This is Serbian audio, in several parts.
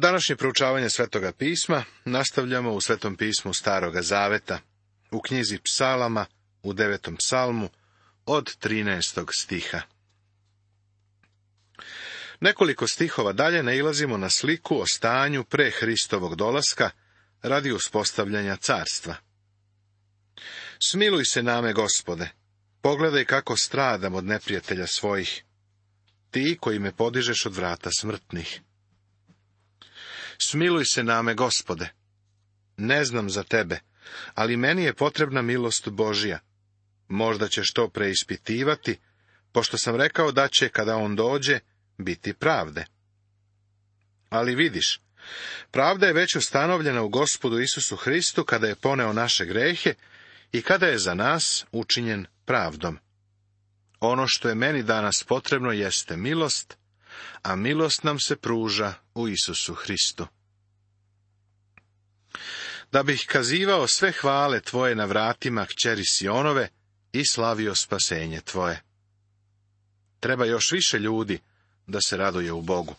Današnje proučavanje Svetoga pisma nastavljamo u Svetom pismu Staroga zaveta, u knjizi Psalama, u 9. psalmu, od 13. stiha. Nekoliko stihova dalje nailazimo na sliku o stanju pre Hristovog dolaska radi uspostavljanja carstva. Smiluj se name, Gospode, pogledaj kako stradam od neprijatelja svojih, ti koji me podižeš od vrata smrtnih. Smiluj se name, Gospode. Ne znam za tebe, ali meni je potrebna milost Božja. Možda ćeš to preispitivati, pošto sam rekao da će, kada on dođe, biti pravde. Ali vidiš, pravda je već ustanovljena u Gospodu Isusu Hristu kada je poneo naše grehe i kada je za nas učinjen pravdom. Ono što je meni danas potrebno jeste milost, a milost nam se pruža u Isusu Hristu. Da bih kazivao sve hvale tvoje na vratima kćeri Sionove i slavio spasenje tvoje. Treba još više ljudi da se raduje u Bogu.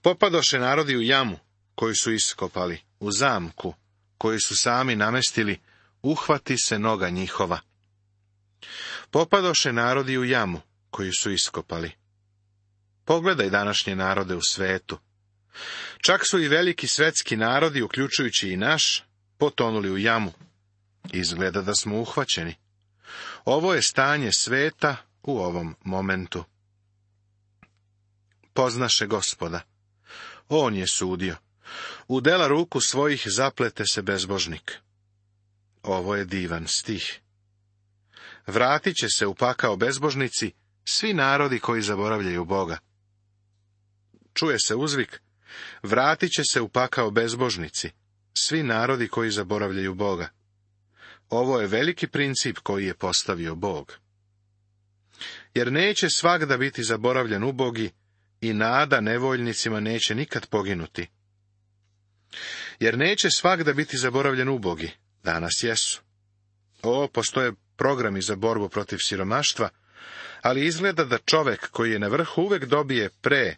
Popadoše narodi u jamu, koju su iskopali, u zamku, koju su sami namestili, uhvati se noga njihova. Popadoše narodi u jamu, koju su iskopali. Pogledaj današnje narode u svetu. Čak su i veliki svetski narodi, uključujući i naš, potonuli u jamu. Izgleda da smo uhvaćeni. Ovo je stanje sveta u ovom momentu. Poznaše Gospoda. On je sudio. U dela ruku svojih zaplete se bezbožnik. Ovo je divan stih. Vratit će se u pakao bezbožnici svi narodi koji zaboravljaju Boga. Čuje se uzvik, vratit će se u pakao bezbožnici svi narodi koji zaboravljaju Boga. Ovo je veliki princip koji je postavio Bog. Jer neće svagda biti zaboravljen ubogi i nada nevoljnicima neće nikad poginuti. Jer neće svagda biti zaboravljen ubogi, danas jesu. Postoje programi za borbu protiv siromaštva, ali izgleda da čovek koji je na vrhu uvek dobije pre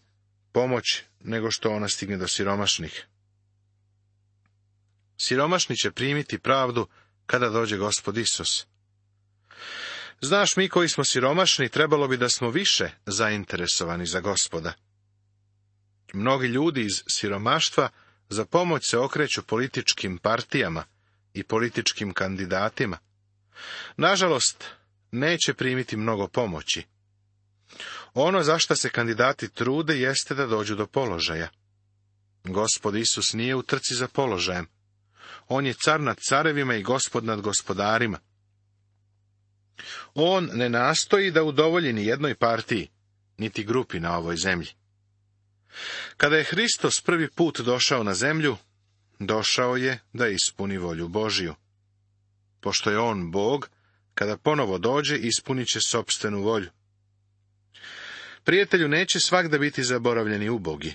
pomoć nego što ona stigne do siromašnih. Siromašni će primiti pravdu kada dođe Gospod Isus. Znaš, mi koji smo siromašni, trebalo bi da smo više zainteresovani za Gospoda. Mnogi ljudi iz siromaštva za pomoć se okreću političkim partijama i političkim kandidatima. Nažalost, neće primiti mnogo pomoći. Ono za šta se kandidati trude jeste da dođu do položaja. Gospod Isus nije u trci za položajem. On je car nad carevima i gospod nad gospodarima. On ne nastoji da udovolji ni jednoj partiji, niti grupi na ovoj zemlji. Kada je Hristos prvi put došao na zemlju, došao je da ispuni volju Božiju. Pošto je on Bog, kada ponovo dođe, ispunit će sopstvenu volju. Prijatelju, neće svagda biti zaboravljeni ubogi.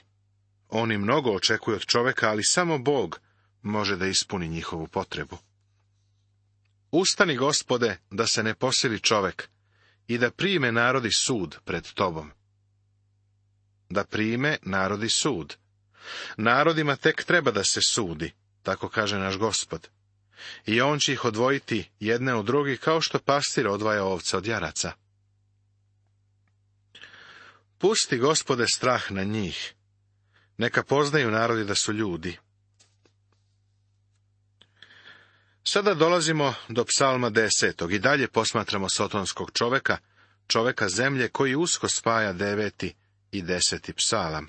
Oni mnogo očekuju od čoveka, ali samo Bog može da ispuni njihovu potrebu. Ustani, Gospode, da se ne posili čovek i da prime narodi sud pred tobom. Da prime narodi sud. Narodima tek treba da se sudi, tako kaže naš Gospod. I on će ih odvojiti jedne od drugih kao što pastir odvaja ovce od jaraca. Pusti, Gospode, strah na njih. Neka poznaju narodi da su ljudi. Sada dolazimo do psalma 10. i dalje posmatramo sotonskog čoveka, čoveka zemlje koji usko spaja 9. i 10. psalam.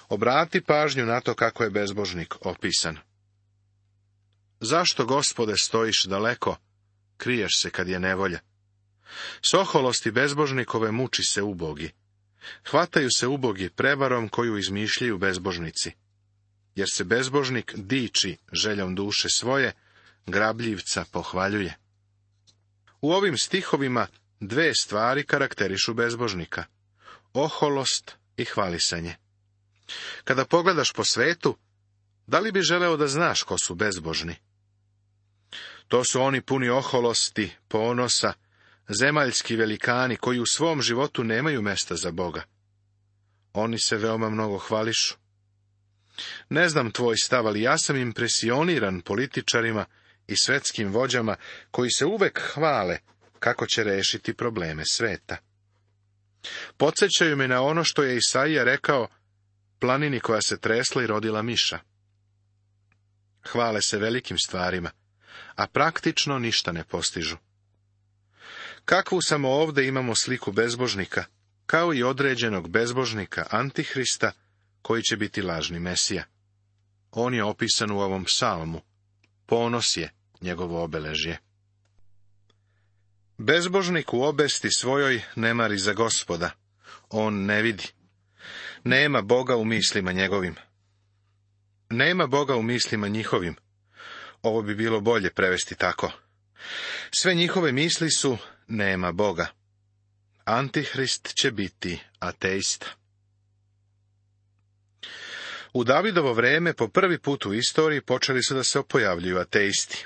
Obrati pažnju na to kako je bezbožnik opisan. Zašto, Gospode, stojiš daleko, kriješ se kad je nevolja? S oholosti bezbožnikove muči se ubogi. Hvataju se ubogi prevarom koju izmišljaju bezbožnici. Jer se bezbožnik diči željom duše svoje, grabljivca pohvaljuje. U ovim stihovima dve stvari karakterišu bezbožnika: oholost i hvalisanje. Kada pogledaš po svetu, da li bi želeo da znaš ko su bezbožni? To su oni puni oholosti, ponosa, zemaljski velikani koji u svom životu nemaju mesta za Boga. Oni se veoma mnogo hvališu. Ne znam tvoj stav, ali ja sam impresioniran političarima i svetskim vođama koji se uvek hvale kako će rešiti probleme sveta. Podsjećaju me na ono što je Isaija rekao planini koja se tresla i rodila miša. Hvale se velikim stvarima, a praktično ništa ne postižu. Kakvu samo ovde imamo sliku bezbožnika, kao i određenog bezbožnika Antihrista, koji će biti lažni Mesija. On je opisan u ovom psalmu. Ponos je njegovo obeležje. Bezbožnik u obesti svojoj ne mari za Gospoda. On ne vidi. Nema Boga u mislima njegovim. Nema Boga u mislima njihovim. Ovo bi bilo bolje prevesti tako. Sve njihove misli su nema Boga. Antihrist će biti ateista. U Davidovo vreme po prvi put u istoriji počeli su da se pojavljuju ateisti.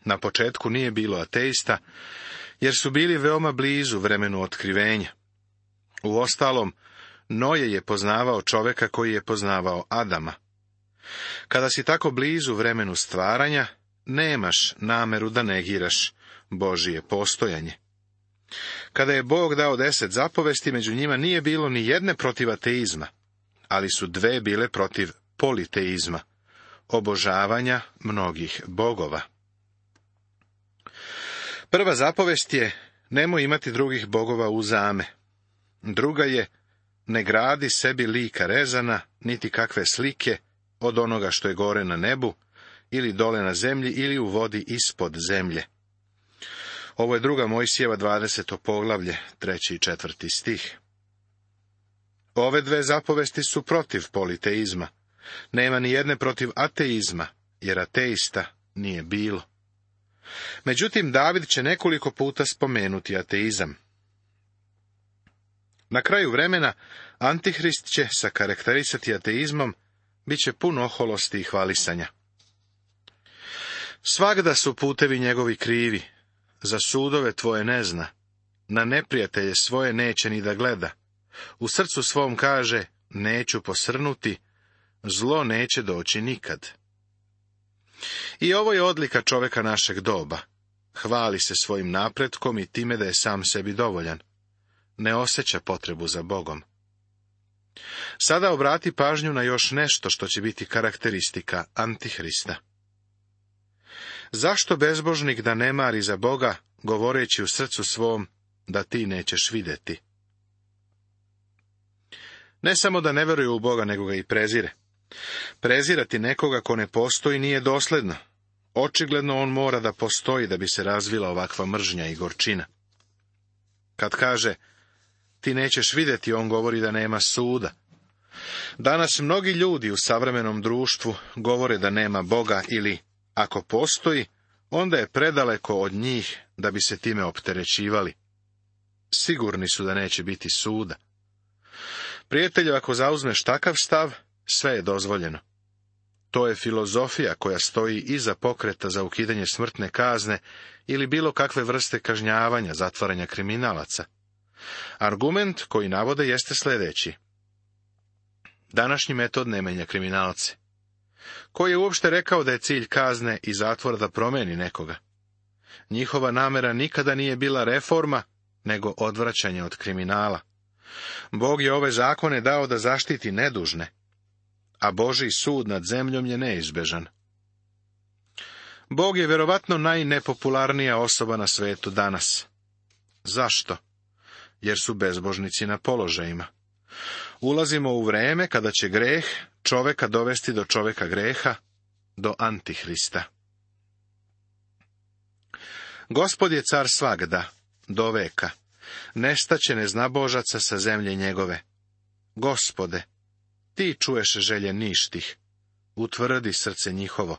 Na početku nije bilo ateista, jer su bili veoma blizu vremenu otkrivenja. Uostalom, Noje je poznavao čoveka koji je poznavao Adama. Kada si tako blizu vremenu stvaranja, nemaš nameru da negiraš Božije postojanje. Kada je Bog dao 10 zapovesti, među njima nije bilo ni jedne protiv ateizma, ali su 2 bile protiv politeizma, obožavanja mnogih bogova. Prva zapovest je nemoj imati drugih bogova uzame. Druga je ne gradi sebi lika rezana, niti kakve slike od onoga što je gore na nebu, ili dole na zemlji, ili u vodi ispod zemlje. Ovo je 2. Mojsijeva 20. poglavlje, 3. i 4. stih. Ove 2 zapovesti su protiv politeizma. Nema ni jedne protiv ateizma, jer ateista nije bilo. Međutim, David će nekoliko puta spomenuti ateizam. Na kraju vremena, Antihrist će se karakterisati ateizmom, bit će pun oholosti i hvalisanja. Svagda su putevi njegovi krivi, za sudove tvoje ne zna, na neprijatelje svoje neće ni da gleda. U srcu svom kaže, neću posrnuti, zlo neće doći nikad. I ovo je odlika čoveka našeg doba. Hvali se svojim napretkom i time da je sam sebi dovoljan. Ne osjeća potrebu za Bogom. Sada obrati pažnju na još nešto što će biti karakteristika Antihrista. Zašto bezbožnik da ne mari za Boga, govoreći u srcu svom da ti nećeš vidjeti? Ne samo da ne veruje u Boga, nego ga i prezire. Prezirati nekoga ko ne postoji nije dosledno. Očigledno on mora da postoji da bi se razvila ovakva mržnja i gorčina. Kad kaže, ti nećeš vidjeti, on govori da nema suda. Danas mnogi ljudi u savremenom društvu govore da nema Boga ili, ako postoji, onda je predaleko od njih da bi se time opterećivali. Sigurni su da neće biti suda. Prijatelju, ako zauzmeš takav stav, sve je dozvoljeno. To je filozofija koja stoji iza pokreta za ukidanje smrtne kazne ili bilo kakve vrste kažnjavanja, zatvaranja kriminalaca. Argument koji navode jeste sljedeći. Današnji metod ne menja kriminalce. Ko je uopšte rekao da je cilj kazne i zatvora da promeni nekoga? Njihova namera nikada nije bila reforma, nego odvraćanje od kriminala. Bog je ove zakone dao da zaštiti nedužne, a Božji sud nad zemljom je neizbežan. Bog je vjerovatno najnepopularnija osoba na svetu danas. Zašto? Jer su bezbožnici na položajima. Ulazimo u vreme kada će greh čoveka dovesti do čoveka greha, do Antihrista. Gospod je car svagda, do veka. Nestaće neznabožaca sa zemlje njegove. Gospode, ti čuješ želje ništih. Utvrdi srce njihovo.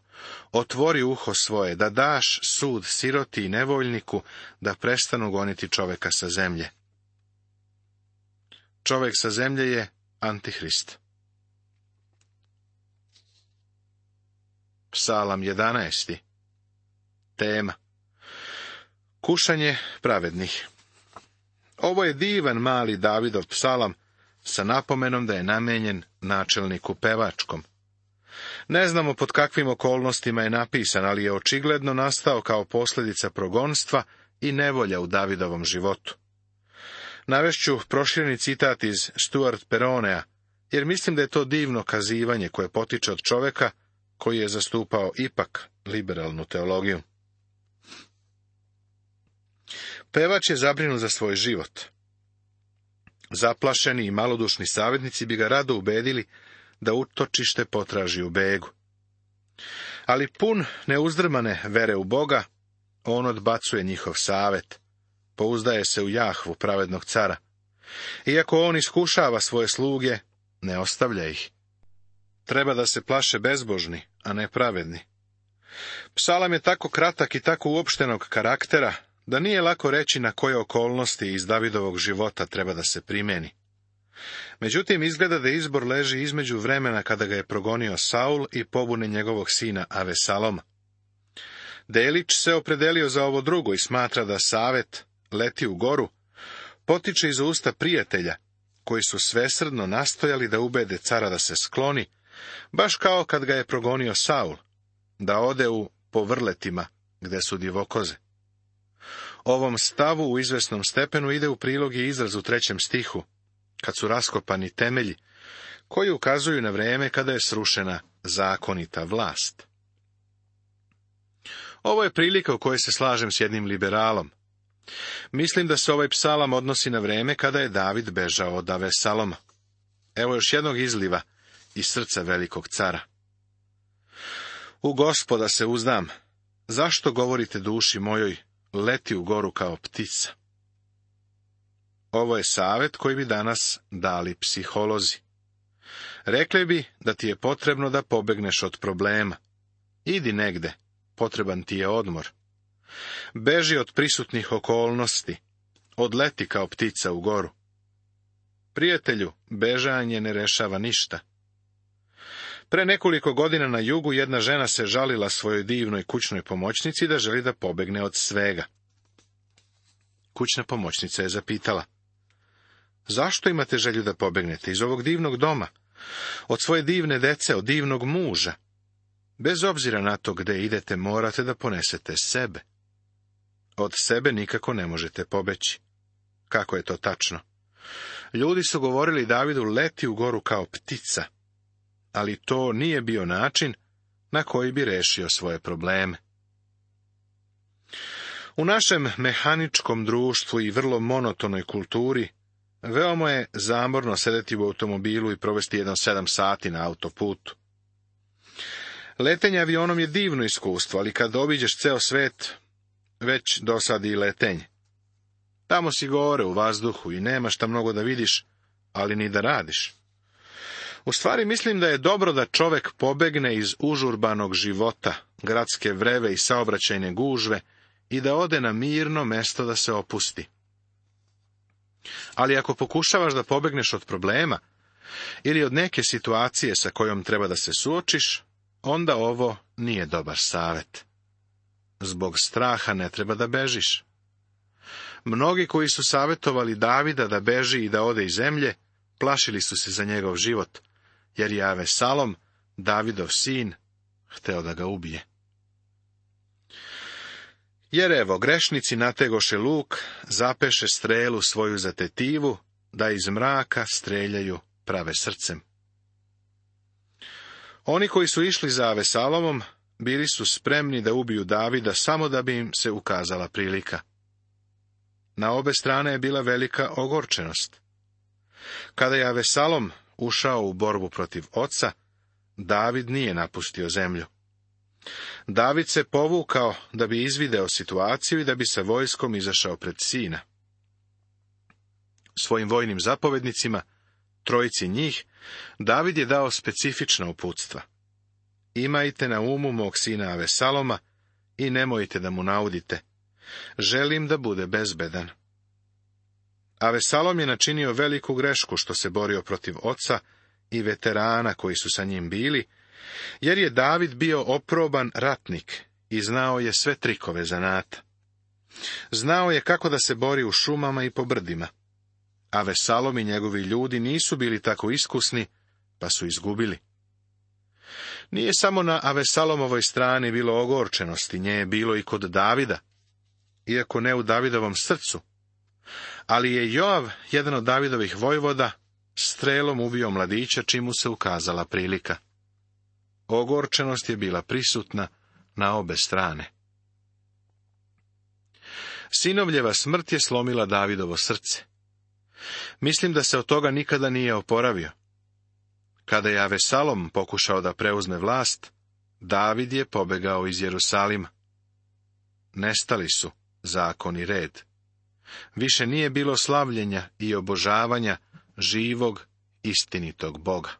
Otvori uho svoje, da daš sud siroti i nevoljniku, da prestanu goniti čoveka sa zemlje. Čovek sa zemlje je Antihrist. Psalam 11. Tema. Kušanje pravednih. Ovo je divan mali Davidov psalam sa napomenom da je namenjen načelniku pevačkom. Ne znamo pod kakvim okolnostima je napisan, ali je očigledno nastao kao posljedica progonstva i nevolja u Davidovom životu. Navešću prošireni citat iz Stuart Peronea, jer mislim da je to divno kazivanje koje potiče od čoveka koji je zastupao ipak liberalnu teologiju. Pevač je zabrinut za svoj život. Zaplašeni i malodušni savjetnici bi ga rado ubedili da utočište potraži u begu. Ali pun neuzdrmane vere u Boga, on odbacuje njihov savjet, pouzdaje se u Jahvu, pravednog cara. Iako on iskušava svoje sluge, ne ostavlja ih. Treba da se plaše bezbožni, a ne pravedni. Psalam je tako kratak i tako uopštenog karaktera, da nije lako reći na koje okolnosti iz Davidovog života treba da se primeni. Međutim, izgleda da izbor leži između vremena kada ga je progonio Saul i pobune njegovog sina Avesaloma. Delić se opredelio za ovo drugo i smatra da savjet leti u goru potiče iz usta prijatelja, koji su svesrdno nastojali da ubede cara da se skloni, baš kao kad ga je progonio Saul, da ode u povrletima gde su divokoze. Ovom stavu u izvesnom stepenu ide u prilog i izraz u 3. stihu, kad su raskopani temelji, koji ukazuju na vreme kada je srušena zakonita vlast. Ovo je prilika u kojoj se slažem s jednim liberalom. Mislim da se ovaj psalam odnosi na vreme kada je David bežao od Avesaloma. Evo još jednog izliva iz srca velikog cara. U Gospoda se uzdam. Zašto govorite duši mojoj, leti u goru kao ptica? Ovo je savjet koji bi danas dali psiholozi. Rekli bi da ti je potrebno da pobegneš od problema. Idi negde, potreban ti je odmor. Beži od prisutnih okolnosti, odleti kao ptica u goru. Prijatelju, bežanje ne rešava ništa. Pre nekoliko godina na jugu jedna žena se žalila svojoj divnoj kućnoj pomoćnici da želi da pobegne od svega. Kućna pomoćnica je zapitala: zašto imate želju da pobegnete iz ovog divnog doma, od svoje divne dece, od divnog muža? Bez obzira na to gde idete, morate da ponesete sebe. Od sebe nikako ne možete pobeći. Kako je to tačno? Ljudi su govorili Davidu leti u goru kao ptica, ali to nije bio način na koji bi rešio svoje probleme. U našem mehaničkom društvu i vrlo monotonoj kulturi veoma je zamorno sedeti u automobilu i provesti 7 sati na autoputu. Letenje avionom je divno iskustvo, ali kad obiđeš ceo svet, već dosadi i letenje. Tamo si gore u vazduhu i nema šta mnogo da vidiš, ali ni da radiš. U stvari mislim da je dobro da čovek pobegne iz užurbanog života, gradske vreve i saobraćajne gužve i da ode na mirno mesto da se opusti. Ali ako pokušavaš da pobegneš od problema ili od neke situacije sa kojom treba da se suočiš, onda ovo nije dobar savjet. Zbog straha ne treba da bežiš. Mnogi koji su savjetovali Davida da beži i da ode iz zemlje, plašili su se za njegov život, jer je Avesalom, Davidov sin, hteo da ga ubije. Jer evo, grešnici nategoše luk, zapeše strelu svoju za tetivu, da iz mraka streljaju prave srcem. Oni koji su išli za Avesalomom, bili su spremni da ubiju Davida samo da bi im se ukazala prilika. Na obe strane je bila velika ogorčenost. Kada je Avesalom ušao u borbu protiv oca, David nije napustio zemlju. David se povukao da bi izvideo situaciju i da bi sa vojskom izašao pred sina. Svojim vojnim zapovednicima, trojici njih, David je dao specifična uputstva. Imajte na umu mog sina Avesaloma i nemojte da mu naudite. Želim da bude bezbedan. Avesalom je načinio veliku grešku što se borio protiv oca i veterana koji su sa njim bili, jer je David bio oproban ratnik i znao je sve trikove zanata. Znao je kako da se bori u šumama i po brdima. Avesalom i njegovi ljudi nisu bili tako iskusni, pa su izgubili. Nije samo na Avesalomovoj strani bilo ogorčenosti, nje je bilo i kod Davida, iako ne u Davidovom srcu. Ali je Joav, jedan od Davidovih vojvoda, strelom ubio mladića, čim mu se ukazala prilika. Ogorčenost je bila prisutna na obe strane. Sinovljeva smrt je slomila Davidovo srce. Mislim da se od toga nikada nije oporavio. Kada je Avesalom pokušao da preuzme vlast, David je pobegao iz Jerusalima. Nestali su zakon i red. Više nije bilo slavljenja i obožavanja živog, istinitog Boga.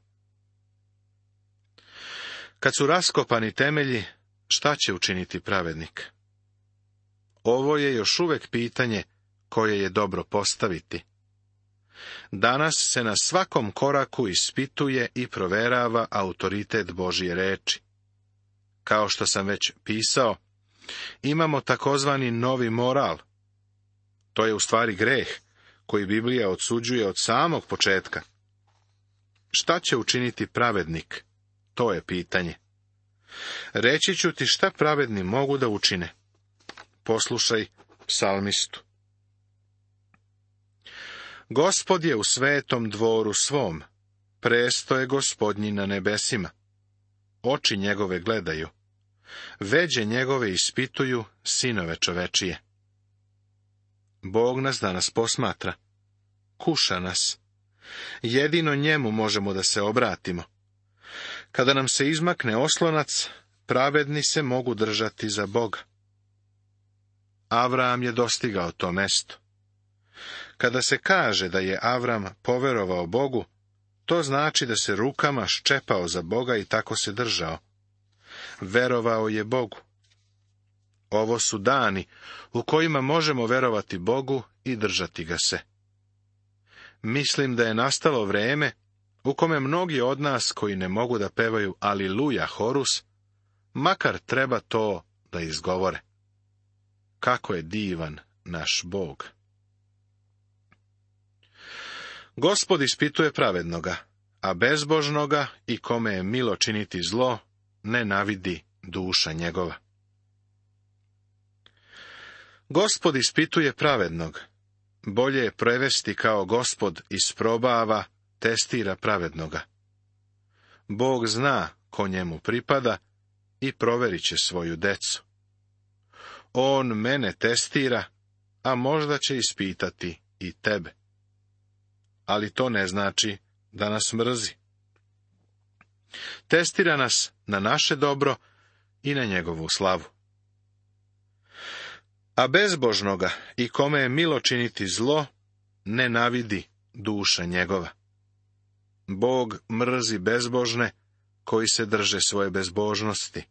Kad su raskopani temelji, šta će učiniti pravednik? Ovo je još uvijek pitanje koje je dobro postaviti. Danas se na svakom koraku ispituje i proverava autoritet Božje reči. Kao što sam već pisao, imamo takozvani novi moral. To je u stvari greh koji Biblija odsuđuje od samog početka. Šta će učiniti pravednik? To je pitanje. Reći ću ti šta pravedni mogu da učine. Poslušaj psalmistu. Gospod je u svetom dvoru svom, presto je Gospodnji na nebesima. Oči njegove gledaju, veđe njegove ispituju sinove čovečije. Bog nas danas posmatra, kuša nas. Jedino njemu možemo da se obratimo. Kada nam se izmakne oslonac, pravedni se mogu držati za Boga. Avram je dostigao to mesto. Kada se kaže da je Avram poverovao Bogu, to znači da se rukama ščepao za Boga i tako se držao. Verovao je Bogu. Ovo su dani u kojima možemo verovati Bogu i držati ga se. Mislim da je nastalo vreme u kome mnogi od nas koji ne mogu da pevaju Aliluja horus, makar treba to da izgovore. Kako je divan naš Bog! Gospod ispituje pravednoga, a bezbožnoga i kome je milo činiti zlo, nenavidi duša njegova. Gospod ispituje pravednog. Bolje je prevesti kao Gospod isprobava, testira pravednoga. Bog zna ko njemu pripada i proverit će svoju decu. On mene testira, a možda će ispitati i tebe. Ali to ne znači da nas mrzi. Testira nas na naše dobro i na njegovu slavu. A bezbožnoga i kome je milo činiti zlo, nenavidi duša njegova. Bog mrzi bezbožne koji se drže svoje bezbožnosti.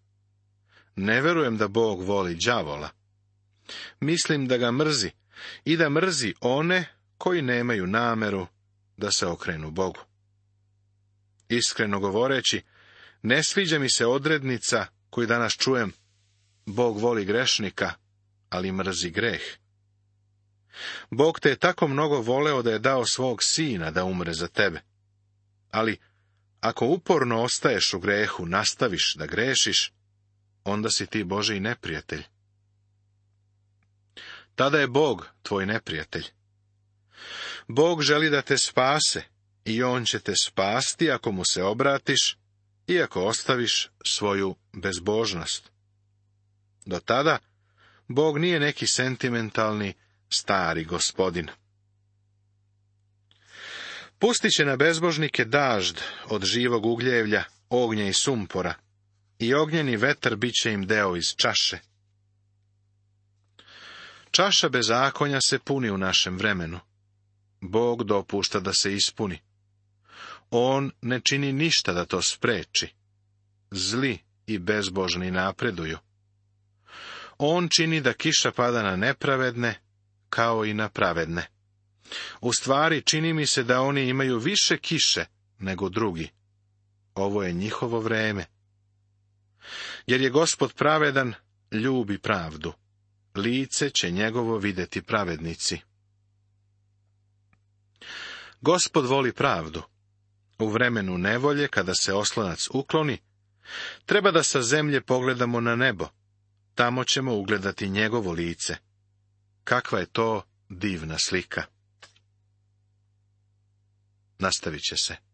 Ne verujem da Bog voli đavola. Mislim da ga mrzi i da mrzi one koji nemaju nameru da se okrenu Bogu. Iskreno govoreći, ne sviđa mi se odrednica koju danas čujem: Bog voli grešnika, ali mrzi greh. Bog te je tako mnogo voleo da je dao svog sina da umre za tebe. Ali ako uporno ostaješ u grehu, nastaviš da grešiš, onda si ti Božji neprijatelj. Tada je Bog tvoj neprijatelj. Bog želi da te spase i on će te spasti ako mu se obratiš i ako ostaviš svoju bezbožnost. Do tada Bog nije neki sentimentalni stari gospodin. Pustit će na bezbožnike dažd od živog ugljevlja, ognja i sumpora, i ognjeni vetar bit će im deo iz čaše. Čaša bezakonja se puni u našem vremenu. Bog dopušta da se ispuni. On ne čini ništa da to spreči. Zli i bezbožni napreduju. On čini da kiša pada na nepravedne, kao i na pravedne. U stvari, čini mi se da oni imaju više kiše nego drugi. Ovo je njihovo vreme. Jer je Gospod pravedan, ljubi pravdu. Lice će njegovo videti pravednici. Gospod voli pravdu. U vremenu nevolje, kada se oslonac ukloni, Treba da sa zemlje pogledamo na nebo. Tamo ćemo ugledati njegovo lice. Kakva je to divna slika. Nastavit će se.